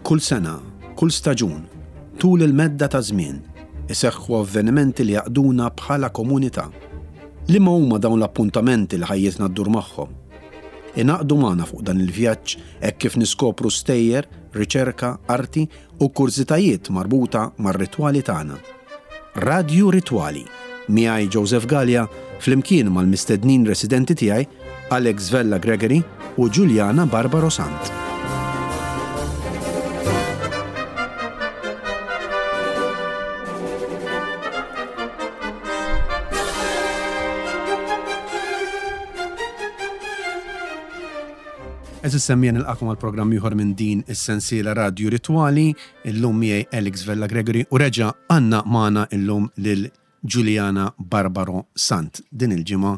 Kull sena, kull staġun, tul il-medda ta' żmien, iseħħu avvenimenti li jgħaqqduna bħala komunità. Liema huma dawn l-appuntamenti li ħajjitna ddur magħhom? Ingħaqdu magħna fuq dan il-vjaġġ hekk kif niskopru stejjer, riċerka, arti u kurżitajiet marbuta mar-ritwali tagħna. Radju Ritwali, miegħi Joseph Galea flimkien mal-mistednin residenti tiegħi Alex Vella Gregory u Juliana Barbaro Sant. Għeżież semmiegħa nilqakom għal programm ieħor minn din is-sensiela Radju Ritwali. Illum miegħi Alex Vella Gregory u reġa' għandna magħna illum lil Juliana Barbaro Sant. Din il-ġimgħa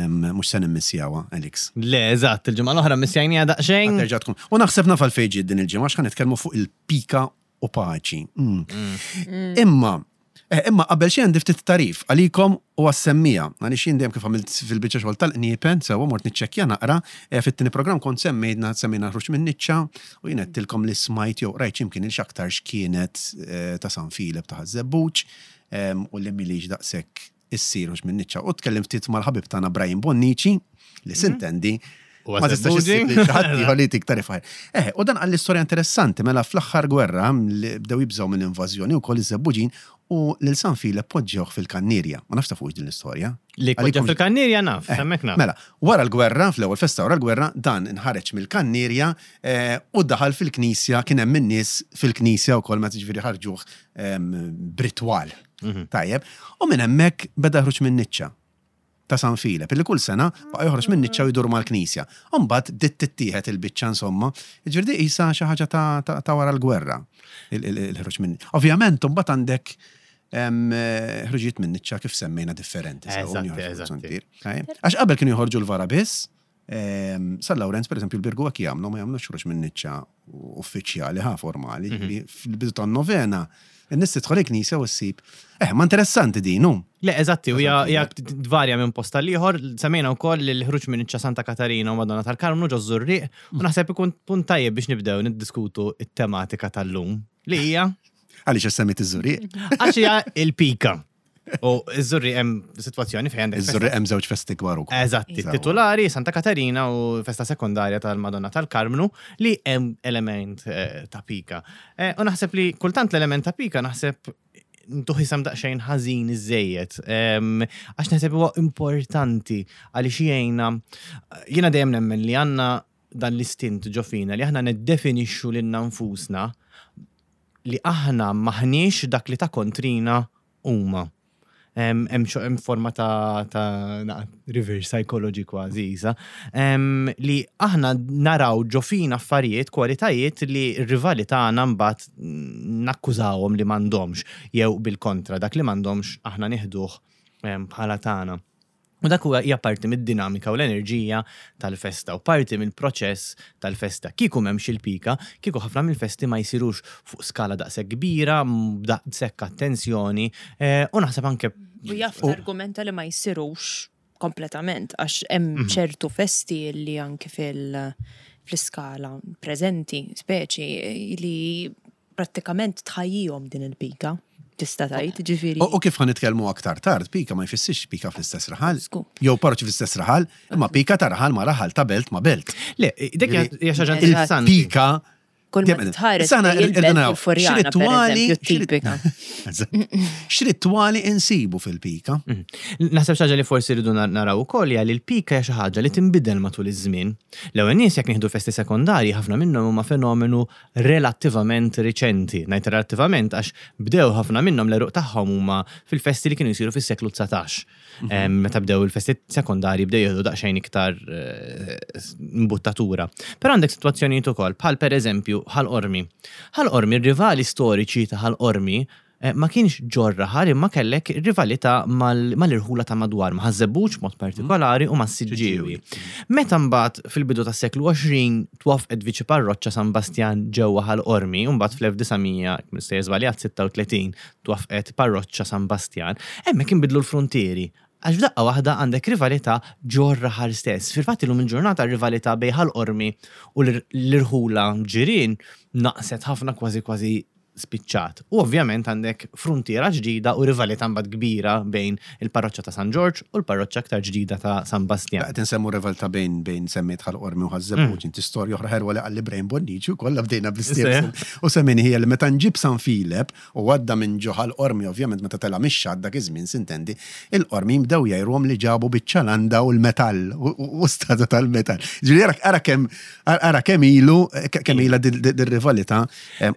mhux se nimmissjawha, Alex. Le, eżatt, il-ġimgħa l-oħra mmissjajniha daqsxejn. Terġa' tkun. U naħseb naf għalfejn ġiet din il-ġimgħa għax ħa nitkellmu fuq il-pika u paċi. Mm. Mm. Imma, eh, imma qabel xejn għandi ftit tarif għalikom u għas-semmija. Għaliex jien dejjem kif għamilt fil-biċċa xogħol tal-qniepen, sewwa mort niċċekkja naqra, eh, fit-tieni programm kont semmejna semmejna ħruġ minn niċċa u jien għedtilkom li smajt jew rajt x'imkien il x'aktarx kienet eh, ta' San Filep ta' Ħaż-Żebbuġ u li milix daqshekk issir hux minn niċċa. U tkellim ftit mal-ħabib tagħna Brian Bonnici li mhm. sintendi ma tistax issib li xi ħadd ieħor li jtik tarif ħajr. Eh, u dan qal istorja interessanti mela fl-aħħar gwerra li bdew jibżgħu mill-invażjoni wkoll iż-Żebbuġin u lil San Filep poġġewh fil-kannierja. Ma nafx tafux din l-istorja. Li poġġew fil-kannierja naf, eh, hemmhekk naf. Mela, wara l-gwerra, fl-ewwel festa wara l-gwerra, dan inħareġ mill-kannierja eh, u daħal fil-knisja, kien hemm in-nies fil-knisja wkoll meta ġifieri ħarġuh ehm, b'ritwal. Mhm. Tajjeb. U minn hemmhekk beda jħruġ minn niċċa ta' San Filep, illi kull sena baqa' joħroġ minn niċċa u jdur mal-knisja. U mbagħad bdiet tittieħed il-biċċa insomma. Jiġifieri di qisha xi ħaġa ta' wara l-gwerra, il-ħruġ minn. Ovvjament imbagħad għandek ħruġijiet minn niċċa kif semmejna differenti. Għax qabel kienu joħorġu l-vara biss, San Lawrenz, per eżempju, l-Birgu hekk jagħmlu, ma jagħmlux ħruġ minn niċċa uffiċjali ħa formali, mhm. fil-bidu tan-novena, in-nies tidħol il-knisja u ssib. Eh, ma interessanti din, hu. Le, eżatti, u hija tvarja minn post tal ieħor, semmejna wkoll l-ħruġ minn niċċa Santa Katarina u Madonna tal-Karmnu ġo Żurrieq, u naħseb ikun punt tajjeb biex nibdew niddiskutu it-tematika tal-lum, li hija Għaliex semmit iż-Żurrieq? Għax hija il-pika. U iż-Żurri hemm sitwazzjoni fejn għandek. Iż-Żurri hemm żewġ festi kbar ukoll. Eżatti, titulari Santa Katarina u festa sekondarja tal-Madonna tal-Karmnu li hemm element eh, ta' pika. Eh, u naħseb li kultant l-element ta' pika naħseb ntuħ isem daqsxejn ħażin iżejjed. Għax naħseb huwa importanti għaliex jgħinna jiena dejjem nemmen li għandna dan l-istint ġo fina li aħna niddefinixxu lilna nfusna li aħna maħniex dak li ta' kontrina huma. Hemm forma ta', ta reverse psychology kważi isa, li aħna naraw ġo fina affarijiet, kwalitajiet li r-rivali tagħna mbagħad nakkużawhom li m'għandhomx jew bil-kontra dak li m'għandhomx aħna nieħduh bħala tagħna. U dak huwa hija parti mid-dinamika u l-enerġija tal-festa u parti mill-proċess tal-festa. Kieku m'hemmx il-pika, kieku ħafna mill-festi ma jsirux fuq skala daqshekk kbira, b'daqshekk attenzjoni, eh, u naħseb anke U jaf argumenta li ma jsirux kompletament għax hemm mhm. ċertu festi li anke fil fl-iskala preżenti, speċi li prattikament tħajjihom din il-pika, tista' tgħid, ġifieri. U kif ħa nitkellmu aktar tard, pika ma jfissirx pika fl-istess raħal. Jew parroċċi fl-istess raħal, imma pika ta' raħal ma' raħal, ta' belt ma' belt. Le, dik hija xi ħaġa interessanti. Pika Kull ma tħares il-Furjana, per tipika. X'ritwali insibu fil-pika? Mhm. Naħseb xi ħaġa li forsi rridu naraw ukoll hija li l-pika hija xi ħaġa li tinbidel matul iż-żmien. L-ewwel nies jekk nieħdu festi sekondarji ħafna minnhom huma fenomenu relattivament riċenti. Ngħid relattivament għax bdew ħafna minnhom l-għeruq tagħhom huma fil-festi li kienu jsiru fis-seklu 19. Mhm. Meta bdew il-festi sekondarji bdew jieħdu daqsxejn iktar eh, imbuttatura. Però għandek sitwazzjonijiet ukoll bħal pereżempju Ħal Qormi. Ħal Qormi, r-rivali storiċi ta' Ħal Qormi Eh, ma kienx ġor raħal imma kellek rivalità mal-irħula ta' madwar, ma' Ħaż-Żebbuġ mod partikolari u mas-Siġġiewi. Meta mbagħad fil-bidu tas-seklu 20 twaffqet viċi parroċċa San Bastjan ġewwa Ħal Qormi u mbagħad fl-1900, mhux sejjer żbaljat, 36 twaffqet parroċċa San Bastjan, hemmhekk inbidlu l-fruntieri. Għax f'daqqa waħda għandek rivalità ġor-raħal stess. Fil-fatt illum il-ġurnata r-rivalità bejn Ħal Qormi u l-irħula ġirien naqset ħafna kważi kważi spiċċat. U ovvjament għandek fruntiera ġdida u rivalità mbagħad kbira bejn il-parroċċa ta' San Ġorġ u l-parroċċa aktar ġdida ta' San Bastjan. Qed insemmu rivalità bejn bejn semmiet Ħal Qormi u Ħaż-Żebbuġ, inti storja oħra ħelwa li qalli Brain Bonnici wkoll bdejna bl-istess. U semmini hija li meta nġib San Filep u għadda minn ġo Ħal Qormi ovvjament meta tela' mix-xatt dak iż-żmien sintendi, il-Qormin bdew jgħiruhom li ġabu biċċa landa u l-metall u statwa tal-metall. Ġifieri ara kemm ara kemm ilu kemm ilha dir-rivalità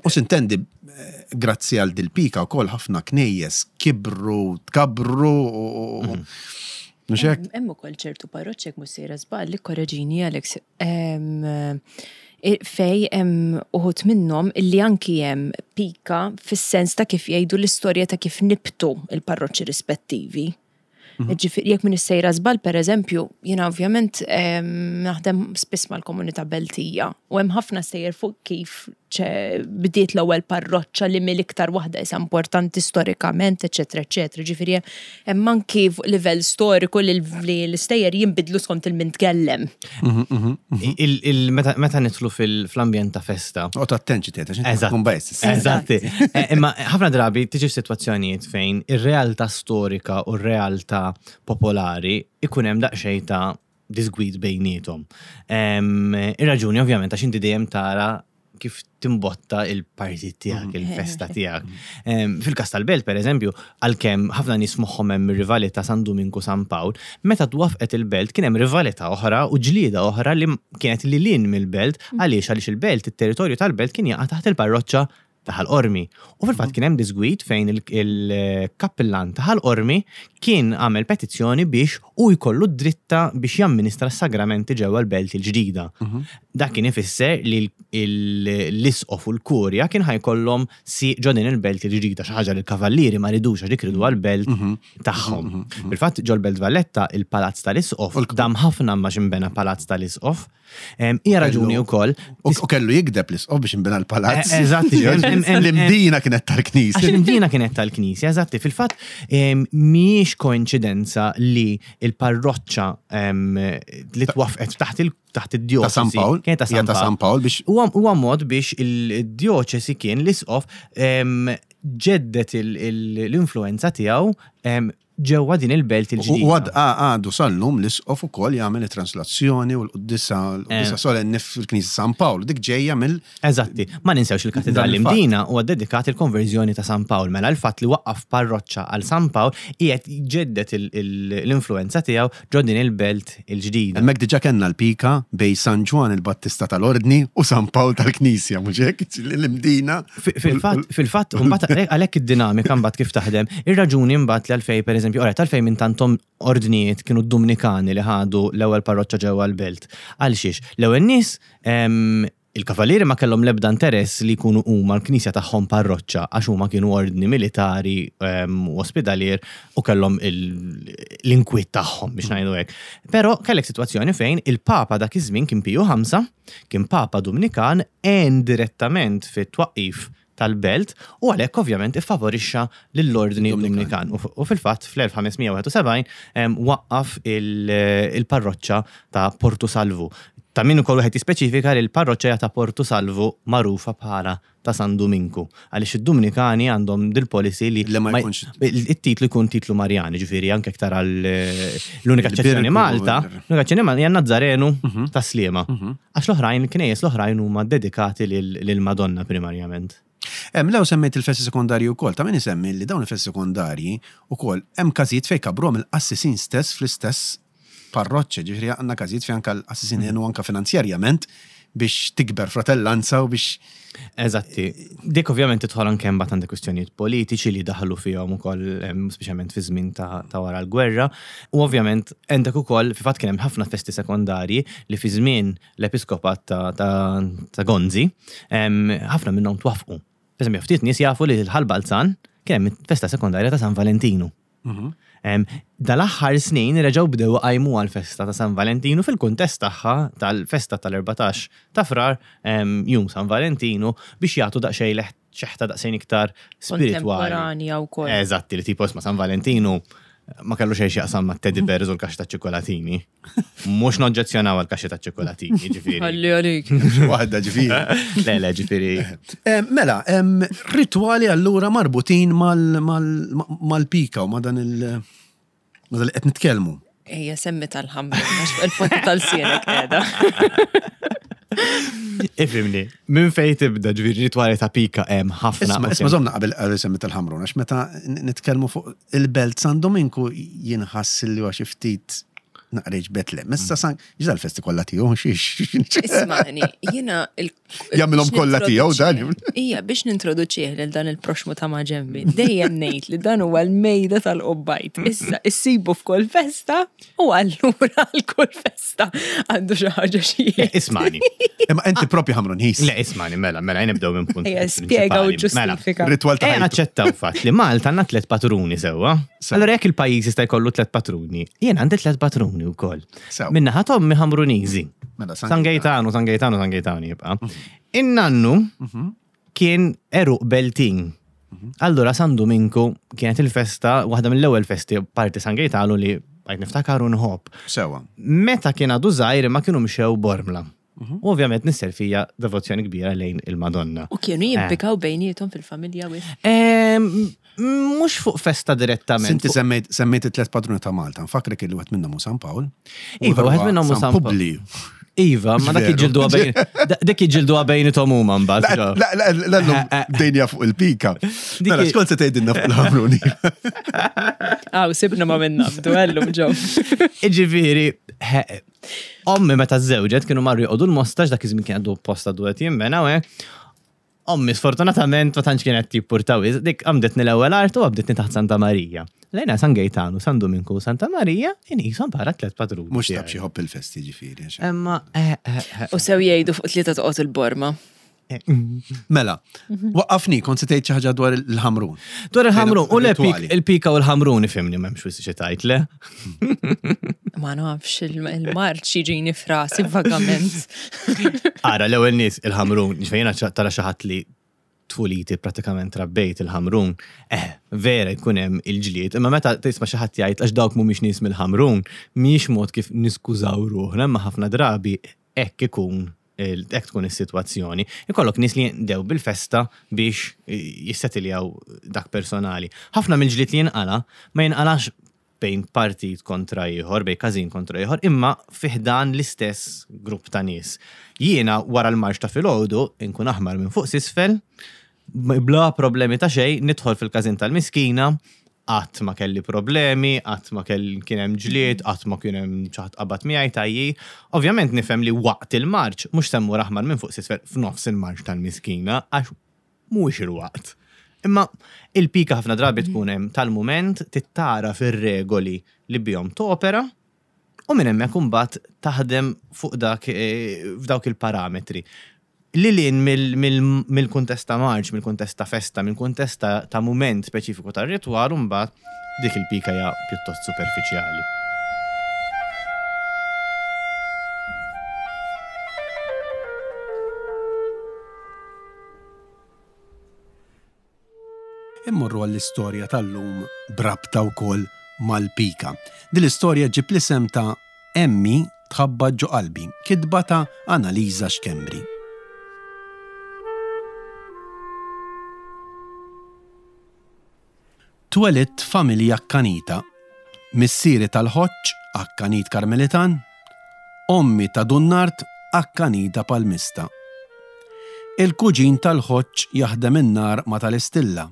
U sintendi, grazzi għal dil-pika wkoll ħafna knejjes kibru, tkabbru u mhux hekk? Hemm ukoll ċertu parroċċi jekk mhux sejra żball, ikkoreġini Alex, fej hemm uħud minnhom illi anki hemm pika fis-sens ta' kif jgħidu l-istorja ta' kif nibtu il-parroċċi rispettivi. Ġifieri jekk m'iniex sejra żball pereżempju, jiena ovvjament naħdem spiss mal-komunità Beltija u hemm ħafna stejjer fuq kif bdiet l-ewwel parroċċa li mill-iktar waħda isa importanti storikament, eċetera, eċetera. Ġifieri hemm anki fuq livell storiku li l-istejjer jinbidlu skont il-min tkellem. Meta nidħlu fl-ambjent ta' festa. U ta' attenċi tgħid għax tkun bajs. Eżatti. Eh, imma ħafna drabi tiġi f'sitwazzjonijiet fejn ir-realtà storika u r-realtà popolari ikun hemm daqsxejn ta' disgwid bejniethom. Ir-raġuni ovvjament għax inti dejjem tara kif timbotta il-partit tiegħek, mhm. il-festa tiegħek. Fil-każ tal-belt, per eżempju, għalkemm ħafna nies moħħhom hemm rivalità San Duminku San Pawl, meta twafqet il-belt kien hemm rivalità oħra u ġlieda oħra li kienet lil hinn mill-belt għaliex għaliex il-belt, it-territorju tal-belt kien jaqa' taħt il-parroċċa ta' Ħal Qormi. U fil-fatt kien hemm disgwid fejn il-kappillan ta' Ħal Qormi kien għamel petizzjoni biex hu jkollu d-dritta biex jamministra s-sagramenti ġewwa l-belt il-ġdida. Dak kien ifisser li l-isqof u l-kurja kien ħa jkollhom sieq ġo din il-belt il-ġdida, xi ħaġa li l-kavallieri ma ridux għax dik riduha l-belt tagħhom. Fil-fatt ġol-Belt Valletta il-palazz tal-isqof dam ħafna ma x'inbena palazz tal-isqof. Hija raġuni wkoll. U kellu jigdeb l-isqof biex inbena l-palazz. Eh, eżatti. L-imdina kienet tal-knisja. L-imdina kienet tal-knisja, eżatti. Fil-fatt mhijiex koinċidenza li il-parroċċa li twafqet taħt il taħt id-djoċesi. Ta' San Pawl. Kienet ta' San Pawl biex. Huwa mod biex il-djoċesi kien l-isqof ġeddet l-influenza tiegħu ġewwa din il-belt il-ġdida. U għadu sal-lum l-isqof ukoll jagħmel it-translazzjoni u l-quddiesa l-quddiesa eh. solenni fil-Knisja San Pawl. Dik ġejja mill Eżatti, ma ninsewx il-Katedral Imdina huwa dedikat il-konverżjoni ta' San Pawl. Mela l-fatt li waqqaf parroċċa għal San Pawl qiegħed jġeddet l-influenza tiegħu ġo din il-belt il-ġdida. Hemmhekk diġà kellna l-pika bejn San Ġwann il-Battista tal-Ordni u San Pawl tal-Knisja, mhux hekk? L-Imdina. Fil-fatt, fil-fatt, mbagħad għalhekk id-dinamika mbagħad kif taħdem, ir-raġuni mbagħad li għalfejn pereżempju, ora għalfejn minn tantom ordnijiet kienu d-Dumnikani li ħadu l-ewwel parroċċa ġewwa l-belt. Għal xiex? L-ewwel nies Il-Kavallieri ma kellhom l-ebda interess li jkunu huma l-knisja tagħhom parroċċa għax huma kienu ordni militari u ospidalier u kellhom l-inkwiet tagħhom biex ngħidu hekk. Però kellek sitwazzjoni fejn il-Papa dak iż-żmien kien Piju Ħamsa, kien Papa Dumnikan, għen direttament fit-twaqqif tal-belt u għalhekk ovvjament iffavorixxa lill-Ordni Dumnikan. U fil-fatt fl-1571 waqqaf il-parroċċa ta' Portu Salvu. Ta' min ukoll wieħed jispeċifika li l-parroċċa hija ta' Portu Salvu magħrufa bħala ta' San Duminku. Għaliex id-Dumnikani għandhom dil-policy li it-titlu jkun titlu Marjan, ġifieri anke aktar għal l-unika eċċezzjoni Malta, l-unika eċċezzjoni Malta hija Nazzarenu ta' Sliema. Għax l-oħrajn, il-knejjes l-oħrajn huma ddedikati lill-Madonna primarjament. Hemm lew semmejt il-festi sekondarji wkoll, ta' min isemmi li dawn il-festi sekondarji wkoll hemm każijiet fejn kabbruhom il-qassisin stess fl-istess parroċċa, ġifieri għandna każijiet fejn anke l-qassisin għenu anke finanzjarjament biex tikber fratellanza u biex Eżatti. Dik ovvjament tidħol anke mbagħad għandek kwistjonijiet politiċi li daħlu fihom ukoll speċjalment fi żmien ta' wara l-gwerra. U ovvjament għandek ukoll fi fatt kien hemm ħafna festi sekondarji li fi żmien l-episkopat ta' Gonzi ħafna minnhom twaffqu. Per eżempju, ftit nies jafu li l-Ħal Balzan kien hemm festa sekondarja ta' San Valentinu. Mhm. Dal-aħħar snin reġgħu bdew iqajmu għall-festa ta' San Valentinu fil-kuntest tagħha tal-festa tal-14 ta' Frar, Jum San Valentinu, biex jagħtu daqsxejn xeħta daqsxejn iktar spiritwali. Kontemporanja wkoll. Eżatti, li tipo isma' San Valentinu. Ma kellu xejn x'jaqsam ma' teddy bears u l-kaxxa ta' ċikkolatini. Mhux noġġezzjonaw għal kaxxa ta' ċikkolatini, ġifieri. Ħalli għalik. Waħda ġifieri. Le, le, ġifieri. Eh, mela, ritwali allura marbutin mal-pika u ma' dan il- ma' dan li qed nitkellmu. Ejja, semmi tal-ħamra, għax fuq il-ponta tal-sienek qiegħda. Ifimni, minn fej tibda ġifieri ritwali ta' pika hemm ħafna. Isma, isma zomna qabel qabel semmi tal-ħamrun, għax meta nitkellmu fuq il-belt San Dominku jinħass li huwa xi ftit naqreġ Betlem. Issa San, ġda l-festi kollha tiegħu xiex. Ismani, jiena il Jagħmilhom kollha tiegħu dan. Ija, biex nintroduċih lil dan il-proxmu ta' maġembi, dejjem ngħid li dan huwa l-mejda tal-qobbajt. Issa issibu f'kull festa u allura għal kull festa għandu xi ħaġa xi. Ismani. Imma inti propju ħamrun ħis. Le, ismani, mela, mela, nibdew minn punt. Ejja, spjega u Mela, ġustifika. Ritwal ta' Ejja ħajtu. naċċettaw fatt li Malta għandna tliet patruni sewwa. Sew. Allora jekk il-pajjiż jista' jkollu tliet patruni, jien għandi tliet patruni wkoll. Sew. Minna ħadd ommi Ħamruniżi. Mela, San San Gejtanu, San Gejtanu, San Gejtanu jibqa'. In-nannu kien eruq Beltin. Allura San Dominku kienet il-festa, waħda mill-ewwel festi parti San Gejtanu li bajt niftakar u nħobb. Sewa. Meta kien għadu żgħir imma kienu mxew Bormla. U ovvjament nisser fija devozzjoni kbira lejn il-Madonna. U kienu jimpikaw bejnietom fil-familja wis. Mhux fuq festa direttament. Sinti semmejt semmejt it-tlet patruni ta' Malta, nfakrek li wieħed minnhom hu San Pawl. u Iva, wieħed minnhom hu San Pawl. Publi. Iva, ma dak Veru. iġildu bejn dak iġildu bejnietom huma mbagħad. La, la, la, l-lum dejnja fuq il-pika. Mela, xkont se tgħidilna fuq il-ħamruni? Aw, sibna ma minna, bdu għallum ġew. Iġifieri, he- ommi meta żewġet kienu marru joqogħdu l-mostax dak iż-żmien kien għadu posta du qed jinbena u hekk. Ommi sfortunatament ma tantx kienet jippurtaw iż, dik għamdetni l-ewwel art u għamdetni taħt Santa Marija. Lejna San Gejtanu, San Duminku, Santa Marija, inqishom bħala tliet patruni. Mhux tab xi ħobb il-festi ġifieri. għax- Imma eh, eh, eh. U sew jgħidu fuq tlieta toqgħod il-borma. Mela, waqqafni, kont se tgħid xi ħaġa dwar il-ħamrun. Dwar il-ħamrun, u le Rituali. il-pika u l-ħamrun ifimni m'hemmx wisq xi tgħid le. Ma nafx il-marċ jiġini frasi vagament. Ara, l-ewwel nies il-ħamrun, ġifieri jiena tara xi ħadd li tfuliti pratikament rabbejt il-ħamrun, eh, vera jkun hemm il-ġlied, imma meta tisma' xi ħadd jgħid għax dawk mhumiex nies mill-ħamrun, mhijiex mod kif niskużaw ruħna, imma ħafna drabi hekk ikun hekk tkun is-sitwazzjoni. Ikollok nies li jindew bil-festa biex jissetiljaw dak personali. Ħafna mill-ġlied li jinqala ma jinqalax bejn partit kontra ieħor, bejn każin kontra ieħor, imma fiħdan l-istess grupp ta' nies. Jiena wara l-marx ta' filgħodu inkun aħmar minn fuq s'isfel, bla problemi ta' xejn, nidħol fil-każin tal-miskina, qatt ma kelli problemi, qatt ma kelli kien hemm ġlied, qatt ma kien hemm xi ħadd qabad miegħi tajji. Ovvjament nifhem li waqt il-marċ mhux se mmur aħmar minn fuq s'isfel f'nofs il-marċ tal-miskina għax mhuwiex il-waqt. Imma il-pika ħafna drabi tkun hemm tal-mument tittara fir-regoli li bihom topera u minn hemmhekk imbagħad taħdem fuq dak eh, f'dawk il-parametri. Lilin mill-kuntest ta' marċ, mill-kuntest ta' festa, mill-kuntest ta' mument speċifiku tar-ritwal u mbagħad dik il-pika hija pjuttost superfiċjali. Immorru għall-istorja tal-lum b'rabta wkoll mal-pika. Din l-istorja ġġib l-isem ta' Emmi tħabbat ġo qalbi, kitba ta' Annalisa Schembri. Twelidt f'familja akkanita. Missieri tal-Ħoġġ, akkanit Karmelitan, ommi ta' Dunnart, akkanita Palmista. Il-kuġin tal-Ħoġġ jaħdem in-nar ma' tal-Istilla.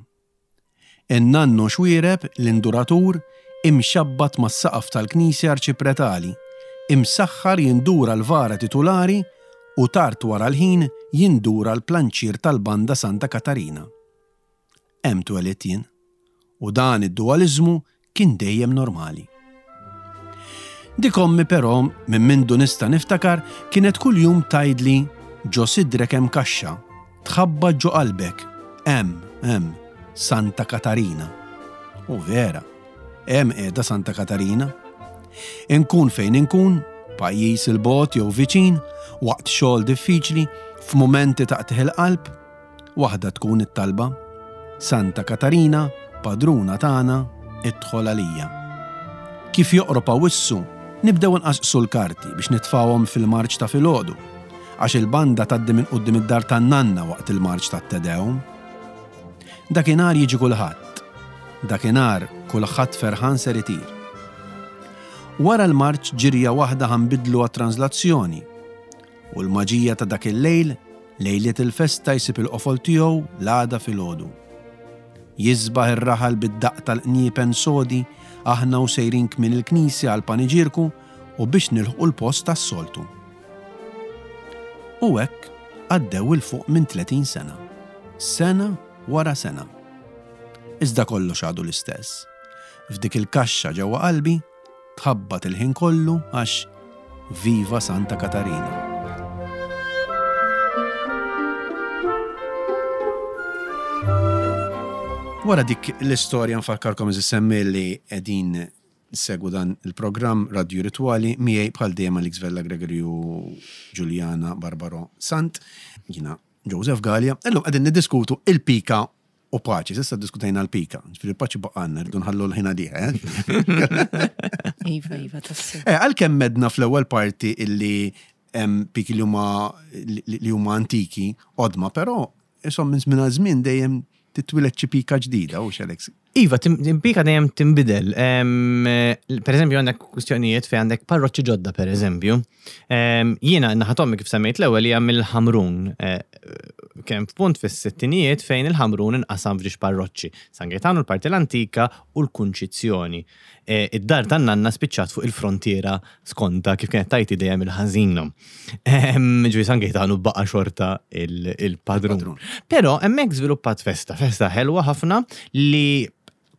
In-nannu Xwiereb, l-induratur, imxabbat mas-saqaf tal-knisja arċipretali, imsaħħar jindura l-vara titulari u tard wara l-ħin jindura l-planċier tal-Banda Santa Katarina. Hemm twelidt jien. U dan id-duwaliżmu kien dejjem normali. Dik ommi però, minn mindu nista' niftakar, kienet kuljum tgħidli ġo sidrek hemm kaxxa, tħabbat ġo qalbek, hemm, hemm, Santa Katarina. U vera, hemm qiegħda Santa Katarina. Inkun fejn inkun, pajjiż 'il bogħod jew viċin, waqt xogħol diffiċli, f'mumenti ta' qtigħ il-qalb, Waħda tkun it-talba, Santa Katarina, padruna tagħna, idħol għalija. Kif joqrob Awwissu, nibdew inqasqsu l-karti biex nitfgħuhom fil-marċ ta' filgħodu, għax il-banda tgħaddi minn quddiem id-dar tan-nanna waqt il-marċ tat-Te Deum. Dakinhar jiġi kulħadd. Dakinhar kulħadd ferħan ser itir. Wara l-marċ ġirja waħda ħa nbiddlu għat-translazzjoni. U l-maġija ta' dak il-lejl, lejliet il-festa jsib il-qofol tiegħu l-għada filgħodu. Jisbaħ ir-raħal bid-daqq tal-qniepen sodi aħna u sejrin kmien il-knisja għall-paniġierku u biex nilħqu l-post tas-soltu. U hekk għaddew 'il fuq minn 30 sena. Sena wara sena. Iżda kollox għadu l-istess. F'dik il-kaxxa ġewwa qalbi tħabbat il-ħin kollu għax Viva Santa Katarina! Wara dik l-istorja nfakkarkom eżis semmi li qegħdin Segwu dan il-programm Radju Ritwali miegħi bħal dejjem Alex Vella Gregory u Juliana Barbaro Sant. Jiena Joseph Galea. Illum qegħdin niddiskutu il-pika u paċi. S'issa ddiskutejna l-pika. Ġifieri l-paċi baqgħalna, rridu nħallu l-ħin għaliha. Eh? Iva, iva, tassew. Eh, għalkemm medna fl-ewwel parti illi hemm piki li huma li huma antiki, qodma, però isom minn żmien għal żmien dejjem titwieled xi pika ġdida, hux Alex? Iva, pika dejjem tinbidel. Per eżempju, għandek kwistjonijiet fejn għandek parroċċi ġodda, per eżempju. Jiena naħa t'ommi kif semmejt l-ewwel hija mill-Ħamrun. Eh, kien f'punt fis-sittinijiet fejn il-Ħamrun inqasam f'ġiex parroċċi. San Gaetano, l-parti l-antika u l-Kunċizzjoni. Eh, id-dar tan-nanna spiċċat fuq il-frontiera skonta kif kienet tajti dejjem il-ħażina. Ġifieri San Gaetanu baqa' xorta il-padrun. Però hemmhekk żviluppat festa, festa ħelwa ħafna li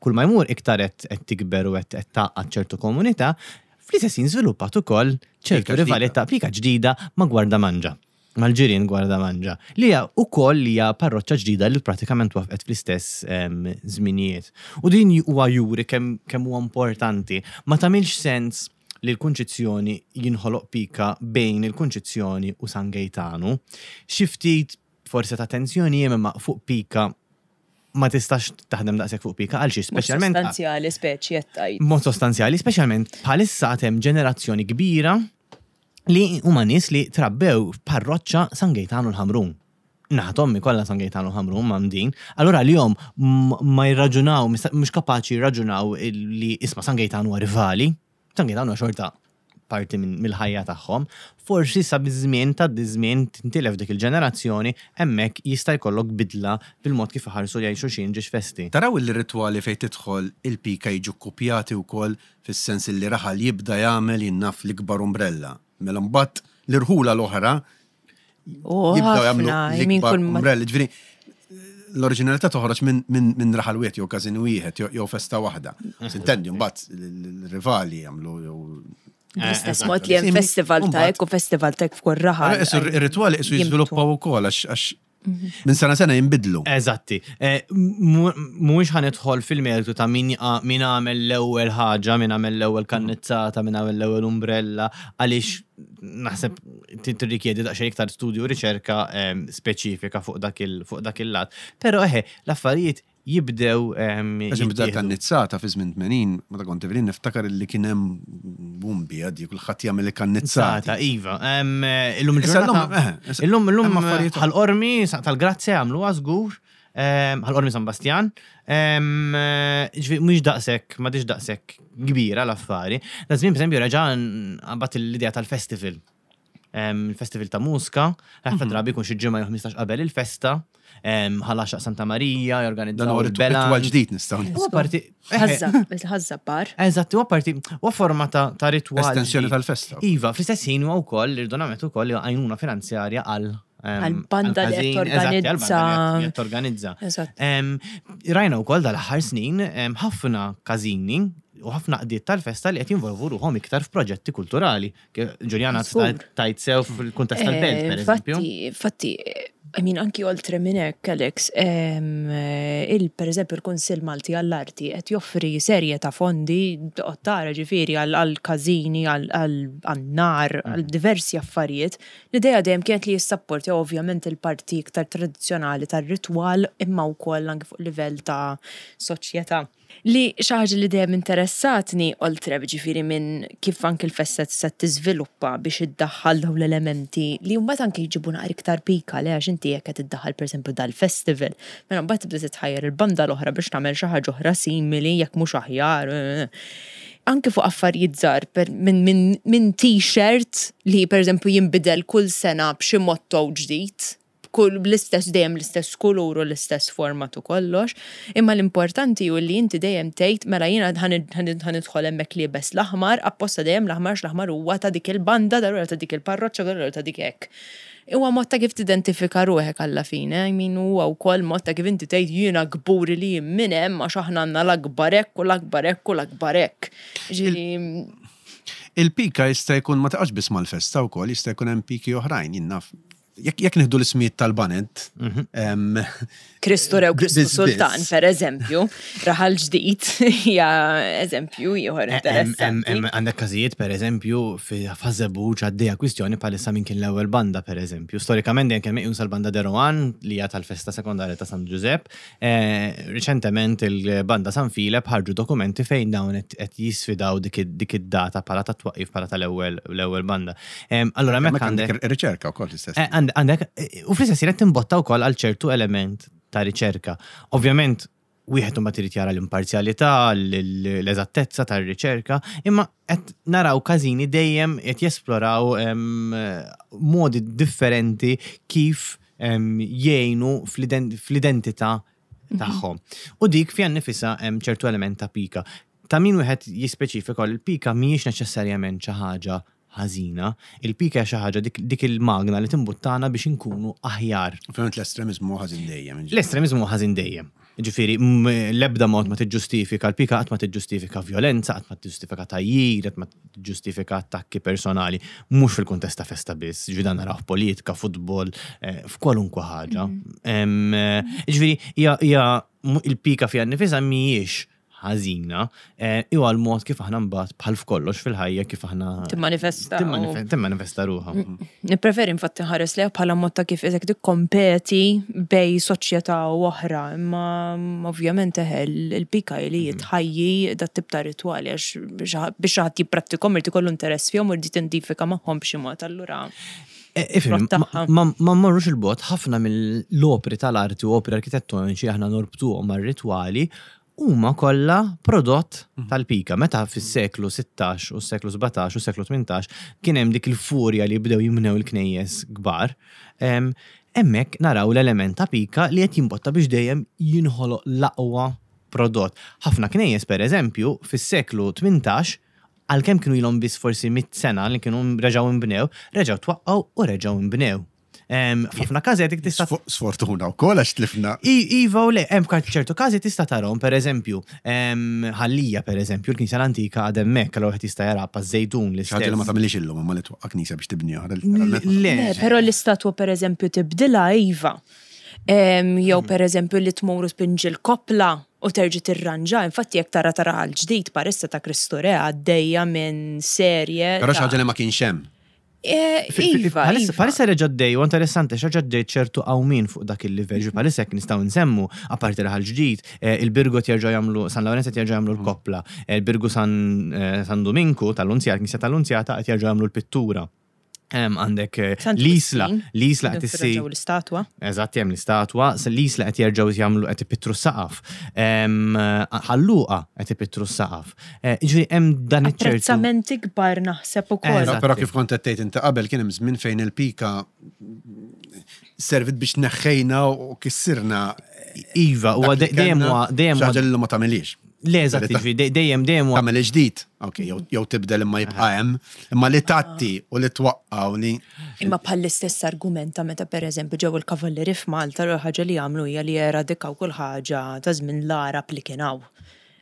kull ma jmur iktar qed tikber u qed tgħaqqad ċertu komunità, fl-istess ħin żviluppat ukoll ċertu rivalità pika ġdida ma' Gwardamanġa. mal-ġirien Gwardamanġa, li hija wkoll hija parroċċa ġdida li pratikament twaffqet fl-istess żminijiet. U din huwa juri kemm kemm huwa importanti. Ma tagħmilx sens li l-Kunċizzjoni jinħoloq pika bejn il-Kunċizzjoni u San Gejtanu. Xi ftit forsi ta' tensjoni hemm imma fuq pika ma tistax taħdem daqshekk fuq pika għal xiex speċjalment. Mod sostanzjali speċi qed tgħid. Mod sostanzjali, speċjalment bħalissa għad hemm ġenerazzjoni kbira li huma nies li trabbew f'parroċċa San Gejtanu l-Ħamrun. Naħa t'ommi kollha San Gejtanu l-Ħamrun mgħammdin. Allura għalihom ma jirraġunaw, mhux kapaċi jirraġunaw li isma' San Gejtanu huwa rivali. San Gejtanu huwa xorta parti mill-ħajja tagħhom. Forsi sa biż-żmien tgħaddi ż-żmien tintilef dik il-ġenerazzjoni, hemmhekk jista' jkollok bidla fil-mod kif iħarsu lejn xulxin ġiex festi. Taraw illi r-ritwali fejn tidħol il-pika jiġu kkupjati wkoll fis-sens illi raħal jibda jagħmel jien naf l-ikbar umbrella. Mela mbagħad l-irħula l-oħra jibdew jagħmlu l-ikbar umbrella. Ġifieri l-oriġinalità toħroġ minn raħal wieħed jew każin wieħed jew festa waħda. Sintendi mbagħad l-rivali jagħmlu jew L-istess mod li hemm festival ta' hekk u festival ta' hekk f'kull raħal. Ir-ritwali qisu jiżviluppaw ukoll għax Minn sena sena jinbidlu. Eżatti. Eh, mhuwiex ħa nidħol fil-mertu ta' min min għamel l-ewwel ħaġa, min għamel l-ewwel kannizzata, min għamel l-ewwel umbrella, għaliex naħseb tirrikjedi daqsxejn iktar studju u riċerka ehm, speċifika fuq dak il-lat. Però eħe, l-affarijiet jibdew. Eżempju, dak kannizzata fi żmien 80, meta kont tiflin niftakar li kien hemm boom bija di kulħadd jagħmel il-kannizzata. Iva, illum il-ġurnata. Eh, illum illum ħal-qormi tal-Grazzja jagħmluha żgur. Ħal-qormi San Bastjan. Mhux daqshekk, ma daqshekk kbira l-affari. Da żmien pereżempju reġa' qabad l-idea tal-festival. Il-festival ta' mużika, ħafna mhm. drabi jkun xi ġimgħa jew 15 qabel il-festa, ħal Santa Marija, jorganizzaw. Dan huwa ritwal ġdid nistgħu. Huwa parti. Ħażabbar. Eżatt, huwa parti, huwa forma ta' ritwal. Estensjoni tal-festa. Iva, fl-istess ħin huwa wkoll irdonamet ukoll għajnuna finanzjarja għal Għal-banda li qed torganizza. Rajna wkoll dal-aħħar snin ħafna każini u ħafna qdiet tal-festa li qed jinvolvu ruħhom iktar f'proġetti kulturali. Ġuljana tajt sew fil-kuntest tal-belt, eh, per eżempju. Fatti, I mean, anki oltre minn hekk, Alex, il per eżempju l-Kunsill Malti għall-Arti qed joffri serje ta' fondi toqgħod tara ġifieri għal każini, għan-nar, għal diversi affarijiet. L-idea dejjem kienet li jissapportjaw ovvjament il-parti iktar tradizzjonali tar-ritwal imma wkoll anki fuq livell ta' soċjetà. Li xi ħaġa li dejjem interessatni oltre ġifieri minn kif anki l-festa tista' tiżviluppa biex iddaħħal dawn l-elementi li mbagħad anki jġibu naqra iktar pika le għax inti jekk qed iddaħħal pereżempju dal-festival, mela mbagħad tibda titħajjar il-banda l-oħra biex tagħmel xi ħaġa oħra simili jekk mhux aħjar. Anki fuq affarijiet żgħar minn min, min t-shirt li pereżempju jinbidel kull sena b'xi motto ġdid kull l-istess dejjem l-istess kulur u l-istess format u kollox, imma l-importanti hu li inti dejjem tgħid mela jiena ħa nidħol hemmhekk liebes l-aħmar, apposta dejjem l-aħmar għax l-aħmar huwa ta' dik il-banda, darura ta' dik il-parroċċa, darura ta' dik hekk. Huwa mod ta' kif tidentifika ruħek alla fine, I mean huwa wkoll mod ta' kif inti tgħid jiena kburi li jien minn hemm għax aħna għandna l-akbar hekk u l-akbar hekk u l-akbar hekk. Ġifieri Il-pika jista' jkun ma taqax biss mal-festa wkoll, jista' jkun hemm piki oħrajn, jien naf. Jekk nieħdu l-ismijiet tal-baned. Kristu Re u Kristu Sultan, per eżempju, raħal ġdid hija eżempju ieħor interessanti. Għandek każijiet, per eżempju, fi Ħaż-Żebbuġ għaddejja kwistjoni bħalissa min kien l-ewwel banda, per eżempju. Storikament dejjem kien meqjus għall-banda De Rohan li hija tal-festa sekondarja ta' San Ġużepp. Riċentement il-banda San Filep ħarġu dokumenti fejn dawn qed jisfidaw dik id-data bħala ta' twaqqif bħala tal-ewwel l-ewwel banda. Allura hemmhekk għandek riċerka wkoll l-istess. Għandek u fl-istess ħin qed timbotta wkoll għal ċertu element ta' riċerka. Ovvjament wieħed imbagħad irid jara l-imparzjalità, l-eżattezza tar-riċerka, imma qed naraw każini dejjem qed jesploraw modi differenti kif jgħinu fl-identità tagħhom. U dik fiha nnifisha hemm ċertu element ta' pika. Ta' min wieħed jispeċifika li l-pika mhijiex neċessarjament xi ħaġa ħażina. Il-pika hija xi ħaġa dik il-magna li timbuttana biex inkunu aħjar. Ovvjament l-estremiżmu huwa ħażin dejjem. L-estremiżmu huwa ħażin dejjem. Ġifieri, l-ebda mod ma tiġġustifika, l-pika qatt ma tiġġustifika vjolenza, qatt ma tiġġustifika tgħajjir, qatt ma tiġġustifika attakki personali, mhux fil-kuntest ta' festa biss, ġifieri dan naraw f'politika, futbol, eh, f'kwalunkwe ħaġa. Mhm. Eh, ġifieri, hija il-pika fiha nnifisha mhijiex ħażina, eh, huwa l-mod kif aħna mbagħad bħal f'kollox fil-ħajja kif aħna timmanifesta. Timmanifesta ruħha. Nippreferi infatti nħares lejha bħala mod ta' kif isek tikkompeti bej soċjetà u oħra, imma ovvjament eħe il-pika li mhm. tħajji dat tip ta' ritwali għax biex xi ħadd jipprattikom irid ikollu interess fihom u jrid jidentifika magħhom b'xi mod allura. E, ifhem, ma mmorrux il-bot ħafna mill-opri tal-arti u opri arkitettoniċi aħna norbtuhom mar-ritwali huma kollha prodott tal-pika. Meta fis-seklu 16 u s-seklu 17 u s-seklu 18 kien hemm dik il-furja li bdew jimnew il-knejjes kbar, hemmhekk naraw l-element ta' pika li qed jimbotta biex dejjem jinħoloq l-aqwa prodott. Ħafna knejjes pereżempju fis-seklu 18 għalkemm kienu ilhom biss forsi 100 sena li kienu reġgħu nbnew, reġgħu twaqqgħu u reġgħu nbnew. F'ħafna każi dik tista' Sfortuna wkoll għax tlifna. Iva u le, hemm ċertu każi tista' tarahom, pereżempju, Ħal-Lija pereżempju, l-knisja l-antika għad hemmhekk, allura wieħed jista' jara paż-Żejtun l-istess. Xi ħaġa li ma tagħmilhiex illum imma li twaqqa' knisja biex tibni oħra. Le. Però l-istatwa pereżempju tibdilha iva. Jew pereżempju li tmur u tpinġi l-koppla u terġa' tirranġa, infatti jekk tara tara għall-ġdid parissa ta' Kristu Re għaddejja minn serje. Però xi ħaġa li ma kienx hemm. Eh, iva, iva. Palissa reġa' dej, u interessanti, reġa' dej ċertu qawmin fuq dak il-livell, ġi palissa jekk nistgħu nsemmu, apparti raħal ġdid, eh, il-Birgu jerġgħu jagħmlu, San Lawrenz qed jerġgħu jagħmlu l-koppla, eh, il-Birgu San Dominku tal-Lunzjata, Knisja tal-Lunzjata qed jerġgħu jagħmlu l-pittura. Għandek l-Isla, l-Isla qed issir. L-istatwa. Eżatt, hemm l-istatwa, l-Isla qed jerġgħu jagħmlu qed ipittru s-saqaf. Ħalluqa qed ipittru s-saqaf. Eh, ġifieri hemm dan iċ-ċertu. Apprezzamenti kbar naħseb ukoll. Però kif kont qed tgħid inti qabel kien hemm żmien fejn il-pika servit biex neħħejna u kissirna. Iva, huwa dejjem huwa dejjem ħaġa li ma tagħmilix. Le, eżatt, ġifieri dejjem dejjem huwa. Tagħmel ġdid, ok, jew tibdel imma jibqa' hemm, imma li tatti u li twaqqa' u li. Imma bħall-istess argument ta' meta pereżempju ġew il-kavallieri f'Malta l ħaġa li għamlu hija li eradikaw kull ħaġa ta' żmien l-Għarab li kien hawn.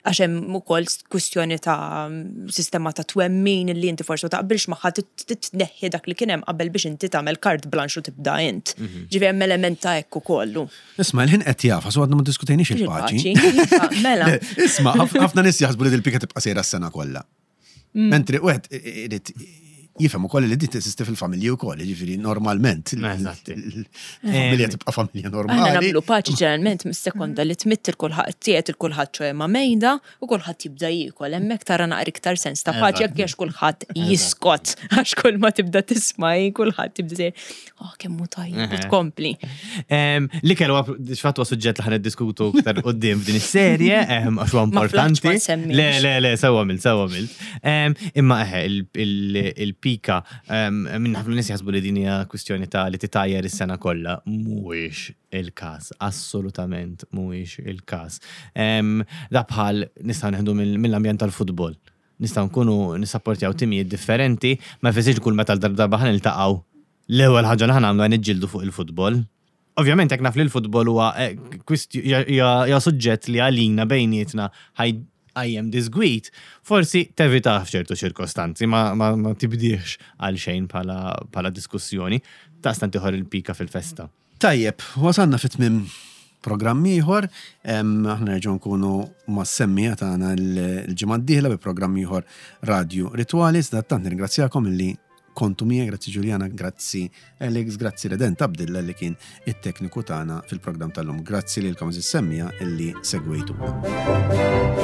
Għax hemm ukoll kwistjoni ta' sistema ta' twemmin li inti forsi ma taqbilx magħha titneħħi dak li kien hemm qabel biex inti tagħmel carte blanche u tibda int. Ġifieri hemm element ta' hekk ukoll. Isma' l-ħin qed jafas u għadna ma diskutejniex il-paċi. Iva, mela. Isma' ħafna nies jaħsbu li dil-pika tibqa' sejra s-sena kollha. Mentri wieħed irid jifhem ukoll li din teżisti fil-familji wkoll, jiġifieri normalment. Eżatti. Familja tibqa' familja Aħna normali. nagħmlu paċi ġeneralment mis-sekonda li tmitt il-kulħadd tiegħed il-kulħadd ċoe ma' mejda u kulħadd jibda jiekol. Hemmhekk tara naqra iktar sens ta' paċi jekk għax kulħadd jiskot għax kull ma tibda tisma' kulħadd jibda sejr, oh kemm hu tajjeb u tkompli. L-ikel huwa x'fatt huwa suġġett li ħan niddiskutu aktar qudiem f'din is-serje, għax huwa Ma flaħtx importanti. ma nsemmix. Le, le, le, sewwa għamilt, sewwa għamilt. Imma eħe, il-pika, minn ħafna nies jaħsbu li din hija kwistjoni ta' li titajjer is-sena kollha, mhuwiex il-każ, assolutament mhuwiex il-każ. Da bħal nistgħu neħdu mill-ambjent tal-futbol. Nistgħu nkunu nissapportjaw timijiet differenti, ma jfissirx kull meta l-darba ħa niltaqgħu l-ewwel ħaġa li ħa nagħmlu għan niġġieldu fuq il-futbol. Ovvjament jekk naf li l-futbol huwa eh, hija suġġett li għalina bejnietna ħajjem disgwit, forsi tevita f'ċertu ċirkostanzi, ma, ma, ma tibdiex għal xejn bħala diskussjoni, taqstant ieħor il-pika fil-festa. Tajjeb, wasalna fit tmiem programm ieħor, aħna nerġgħu nkunu mas-semmija tagħna l-ġimgħa d-dieħla bi programm ieħor Radio Rituali, tant nirringrazzjakom illi kontu miegħi, grazzi Ġuljana, grazzi Alex, grazzi Redent Abdilla li kien it-tekniku tagħna fil-programm tal-lum. Grazzi lilkom is-semmija illi segwejtuna.